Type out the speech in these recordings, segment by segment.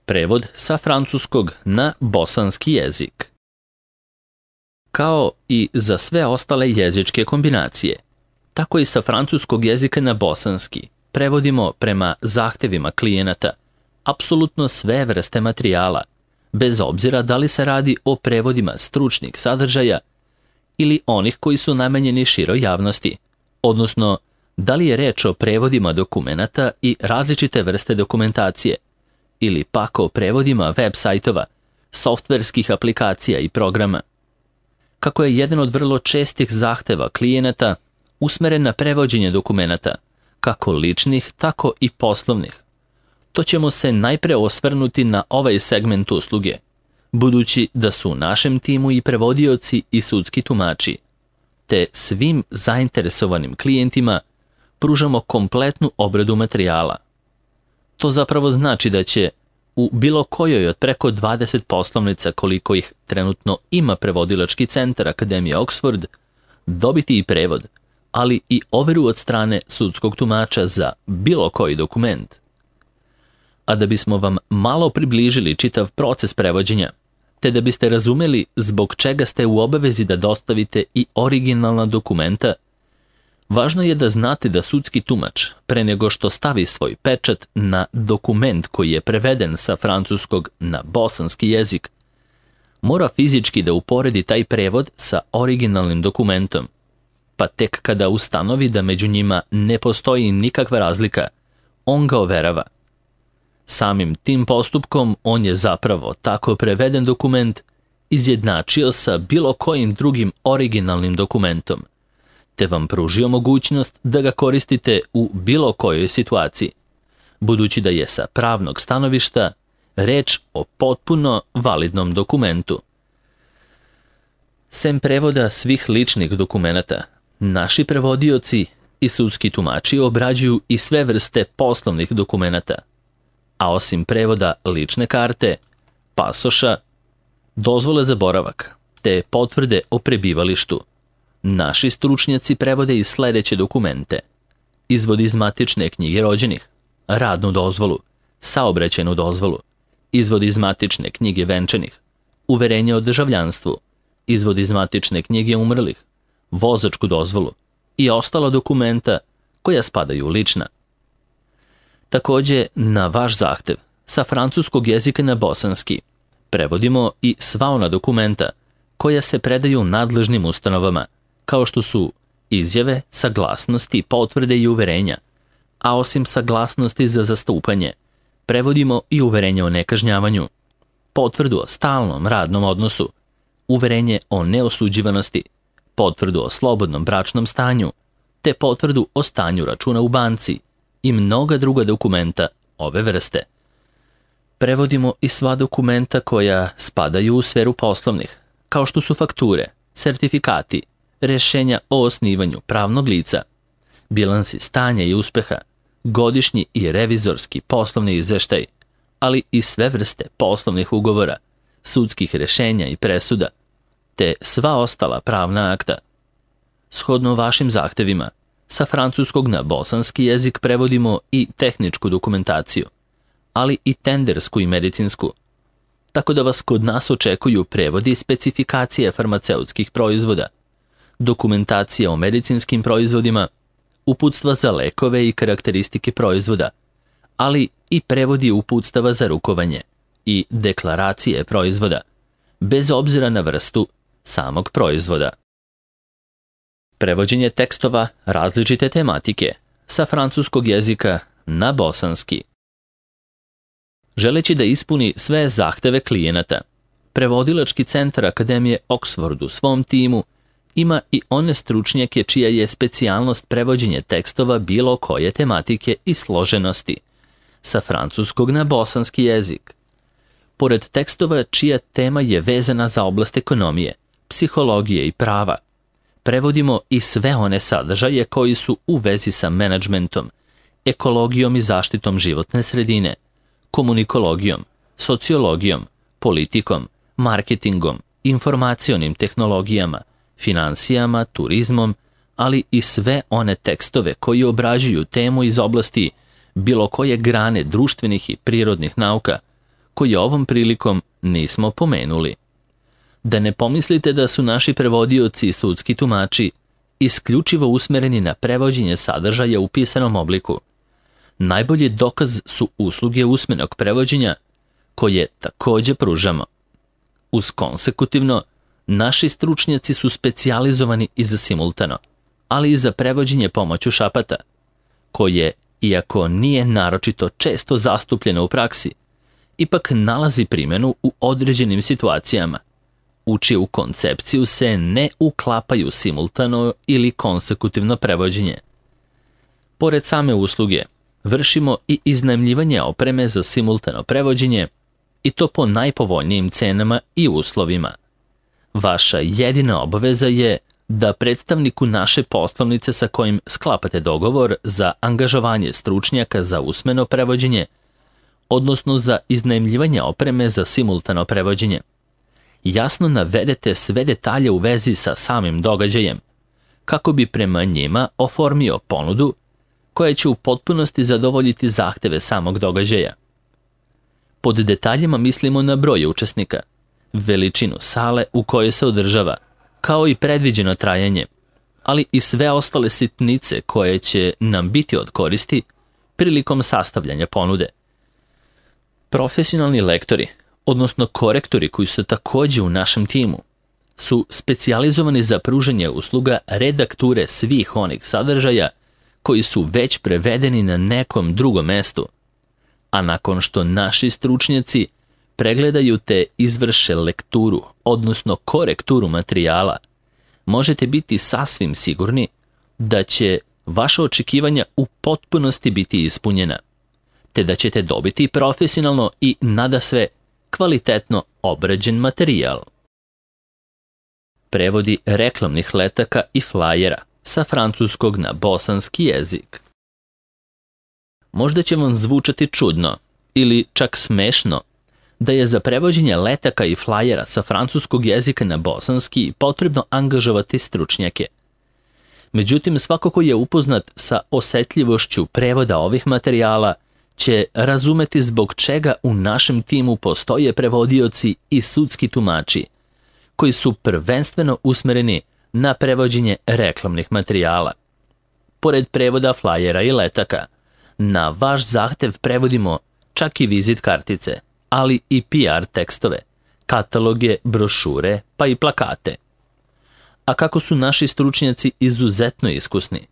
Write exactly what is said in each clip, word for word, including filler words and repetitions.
Prevod sa francuskog na bosanski jezik. Kao i za sve ostale jezičke kombinacije, tako i sa francuskog jezika na bosanski prevodimo prema zahtevima klijenata apsolutno sve vrste materijala, bez obzira da li se radi o prevodima stručnih sadržaja ili onih koji su namenjeni široj javnosti, odnosno da li je reč o prevodima dokumenata i različite vrste dokumentacije, ili pak o prevodima web sajtova, softverskih aplikacija i programa. Kako je jedan od vrlo čestih zahteva klijenata usmeren na prevođenje dokumenata, kako ličnih, tako i poslovnih, to ćemo se najpre osvrnuti na ovaj segment usluge, budući da su u našem timu i prevodioci i sudski tumači, te svim zainteresovanim klijentima pružamo kompletnu obradu materijala. To zapravo znači da će u bilo kojoj od preko dvadeset poslovnica koliko ih trenutno ima prevodilački centar Akademije Oxford dobiti i prevod, ali i overu od strane sudskog tumača za bilo koji dokument. A da bismo vam malo približili čitav proces prevođenja, te da biste razumeli zbog čega ste u obavezi da dostavite i originalna dokumenta, važno je da znate da sudski tumač, pre nego što stavi svoj pečat na dokument koji je preveden sa francuskog na bosanski jezik, mora fizički da uporedi taj prevod sa originalnim dokumentom, pa tek kada ustanovi da među njima ne postoji nikakva razlika, on ga overava. Samim tim postupkom on je zapravo tako preveden dokument izjednačio sa bilo kojim drugim originalnim dokumentom, te vam pružio mogućnost da ga koristite u bilo kojoj situaciji, budući da je sa pravnog stanovišta reč o potpuno validnom dokumentu. Sem prevoda svih ličnih dokumenata, naši prevodioci i sudski tumači obrađuju i sve vrste poslovnih dokumenata, a osim prevoda lične karte, pasoša, dozvole za boravak, te potvrde o prebivalištu, naši stručnjaci prevode i sledeće dokumente: izvod iz matične knjige rođenih, radnu dozvolu, saobraćajnu dozvolu, izvod iz matične knjige venčanih, uverenje o državljanstvu, izvod iz matične knjige umrlih, vozačku dozvolu i ostala dokumenta koja spadaju u lična. Takođe, na vaš zahtev, sa francuskog jezika na bosanski, prevodimo i sva ona dokumenta koja se predaju nadležnim ustanovama, kao što su izjave, saglasnosti, potvrde i uverenja, a osim saglasnosti za zastupanje, prevodimo i uverenje o nekažnjavanju, potvrdu o stalnom radnom odnosu, uverenje o neosuđivanosti, potvrdu o slobodnom bračnom stanju, te potvrdu o stanju računa u banci i mnoga druga dokumenta ove vrste. Prevodimo i sva dokumenta koja spadaju u sferu poslovnih, kao što su fakture, sertifikati, rešenja o osnivanju pravnog lica, bilansi stanja i uspeha, godišnji i revizorski poslovni izveštaj, ali i sve vrste poslovnih ugovora, sudskih rešenja i presuda, te sva ostala pravna akta. Shodno vašim zahtevima, sa francuskog na bosanski jezik prevodimo i tehničku dokumentaciju, ali i tendersku i medicinsku, tako da vas kod nas očekuju prevodi i specifikacije farmaceutskih proizvoda, dokumentacija o medicinskim proizvodima, uputstva za lekove i karakteristike proizvoda, ali i prevodi uputstava za rukovanje i deklaracije proizvoda, bez obzira na vrstu samog proizvoda. Prevođenje tekstova različite tematike sa francuskog jezika na bosanski. Želeći da ispuni sve zahteve klijenata, prevodilački centar Akademije Oxford u svom timu ima i one stručnjake čija je specijalnost prevođenje tekstova bilo koje tematike i složenosti, sa francuskog na bosanski jezik. Pored tekstova čija tema je vezana za oblast ekonomije, psihologije i prava, prevodimo i sve one sadržaje koji su u vezi sa menadžmentom, ekologijom i zaštitom životne sredine, komunikologijom, sociologijom, politikom, marketingom, informacionim tehnologijama, finansijama, turizmom, ali i sve one tekstove koji obrađuju temu iz oblasti bilo koje grane društvenih i prirodnih nauka, koji ovom prilikom nismo pomenuli. Da ne pomislite da su naši prevodioci i sudski tumači isključivo usmereni na prevođenje sadržaja u pisanom obliku. Najbolji dokaz su usluge usmenog prevođenja, koje takođe pružamo. Uz konsekutivno, naši stručnjaci su specijalizovani i za simultano, ali i za prevođenje pomoću šapata, koje, iako nije naročito često zastupljeno u praksi, ipak nalazi primjenu u određenim situacijama, u čiju koncepciju se ne uklapaju simultano ili konsekutivno prevođenje. Pored same usluge, vršimo i iznajmljivanje opreme za simultano prevođenje, i to po najpovoljnijim cenama i uslovima. Vaša jedina obaveza je da predstavniku naše poslovnice sa kojim sklapate dogovor za angažovanje stručnjaka za usmeno prevođenje, odnosno za iznajmljivanje opreme za simultano prevođenje, jasno navedete sve detalje u vezi sa samim događajem, kako bi prema njima oformio ponudu koja će u potpunosti zadovoljiti zahteve samog događaja. Pod detaljima mislimo na broj učesnika, veličinu sale u kojoj se održava, kao i predviđeno trajanje, ali i sve ostale sitnice koje će nam biti od koristi prilikom sastavljanja ponude. Profesionalni lektori, odnosno korektori koji su takođe u našem timu, su specijalizovani za pružanje usluga redakture svih onih sadržaja koji su već prevedeni na nekom drugom mestu, a nakon što naši stručnjaci pregledaju te izvrše lekturu, odnosno korekturu materijala, možete biti sasvim sigurni da će vaša očekivanja u potpunosti biti ispunjena, te da ćete dobiti profesionalno i nadasve kvalitetno obrađen materijal. Prevodi reklamnih letaka i flajera sa francuskog na bosanski jezik. Možda će vam zvučati čudno ili čak smešno da je za prevođenje letaka i flajera sa francuskog jezika na bosanski potrebno angažovati stručnjake. Međutim, svako ko je upoznat sa osetljivošću prevoda ovih materijala će razumeti zbog čega u našem timu postoje prevodioci i sudski tumači, koji su prvenstveno usmereni na prevođenje reklamnih materijala. Pored prevoda flajera i letaka, na vaš zahtev prevodimo čak i vizit kartice, ali i P R tekstove, kataloge, brošure, pa i plakate. A kako su naši stručnjaci izuzetno iskusni,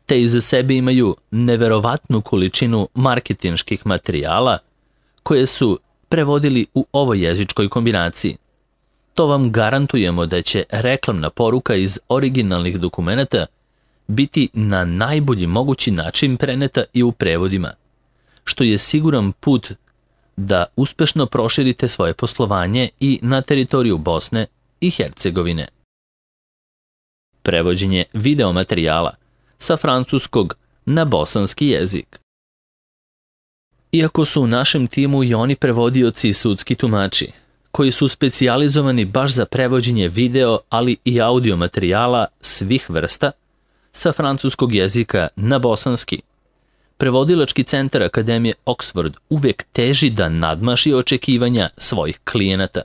te iza sebe imaju neverovatnu količinu marketinških materijala koje su prevodili u ovoj jezičkoj kombinaciji, to vam garantujemo da će reklamna poruka iz originalnih dokumenata biti na najbolji mogući način preneta i u prevodima, što je siguran put da uspešno proširite svoje poslovanje i na teritoriju Bosne i Hercegovine. Prevođenje videomaterijala sa francuskog na bosanski jezik. Iako su u našem timu i oni prevodioci i sudski tumači, koji su specijalizovani baš za prevođenje video, ali i audio materijala svih vrsta, sa francuskog jezika na bosanski, prevodilački centar Akademije Oxford uvek teži da nadmaši očekivanja svojih klijenata,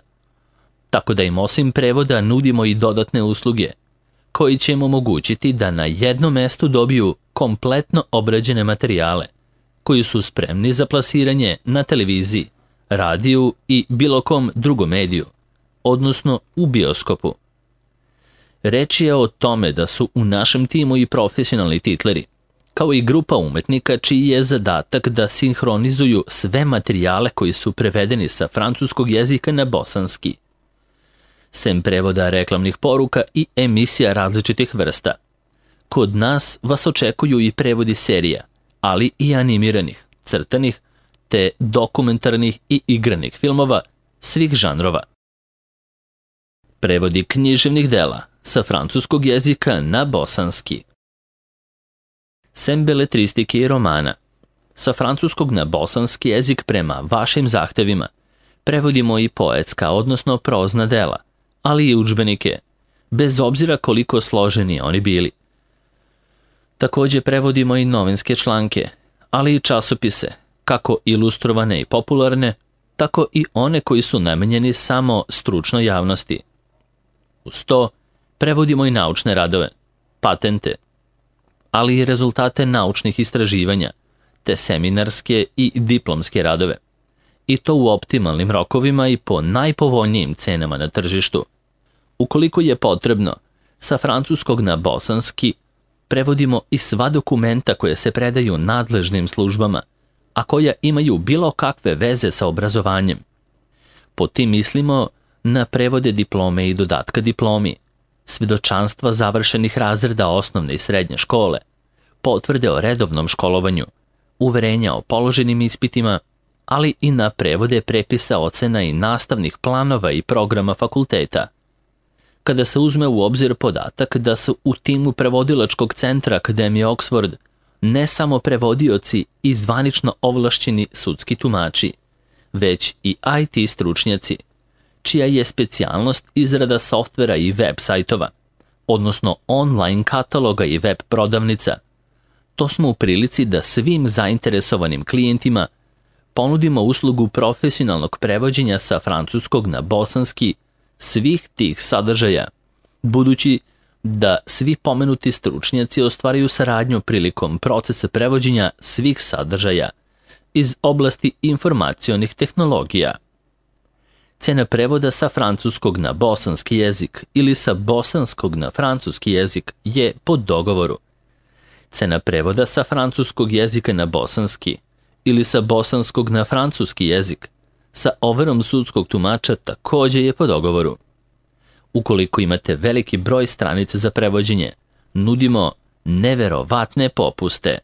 tako da im osim prevoda nudimo i dodatne usluge, koji će im omogućiti da na jednom mestu dobiju kompletno obrađene materijale, koji su spremni za plasiranje na televiziji, radiju i bilo kom drugom mediju, odnosno u bioskopu. Reč je o tome da su u našem timu i profesionalni titleri, kao i grupa umetnika čiji je zadatak da sinhronizuju sve materijale koji su prevedeni sa francuskog jezika na bosanski. Sem prevoda reklamnih poruka i emisija različitih vrsta, kod nas vas očekuju i prevodi serija, ali i animiranih, crtanih, te dokumentarnih i igranih filmova svih žanrova. Prevodi književnih dela sa francuskog jezika na bosanski. Sem beletristike i romana, sa francuskog na bosanski jezik prema vašim zahtevima, prevodimo i poetska, odnosno prozna dela, ali i udžbenike, bez obzira koliko složeni oni bili. Takođe prevodimo i novinske članke, ali i časopise, kako ilustrovane i popularne, tako i one koji su namenjeni samo stručnoj javnosti. Uz to prevodimo i naučne radove, patente, ali i rezultate naučnih istraživanja, te seminarske i diplomske radove. I to u optimalnim rokovima i po najpovoljnijim cenama na tržištu. Ukoliko je potrebno, sa francuskog na bosanski prevodimo i sva dokumenta koje se predaju nadležnim službama, a koja imaju bilo kakve veze sa obrazovanjem. Po tim mislimo na prevode diplome i dodatka diplomi, svedočanstva završenih razreda osnovne i srednje škole, potvrde o redovnom školovanju, uverenja o položenim ispitima, ali i na prevode prepisa ocena i nastavnih planova i programa fakulteta. Kada se uzme u obzir podatak da su u timu prevodilačkog centra Akademije Oxford ne samo prevodioci i zvanično ovlašćeni sudski tumači, već i I T stručnjaci, čija je specijalnost izrada softvera i web sajtova, odnosno online kataloga i web prodavnica, to smo u prilici da svim zainteresovanim klijentima ponudimo uslugu profesionalnog prevođenja sa francuskog na bosanski svih tih sadržaja, budući da svi pomenuti stručnjaci ostvaraju saradnju prilikom procesa prevođenja svih sadržaja iz oblasti informacionih tehnologija. Cena prevoda sa francuskog na bosanski jezik ili sa bosanskog na francuski jezik je po dogovoru. Cena prevoda sa francuskog jezika na bosanski ili sa bosanskog na francuski jezik sa overom sudskog tumača također je po dogovoru. Ukoliko imate veliki broj stranica za prevođenje, nudimo neverovatne popuste.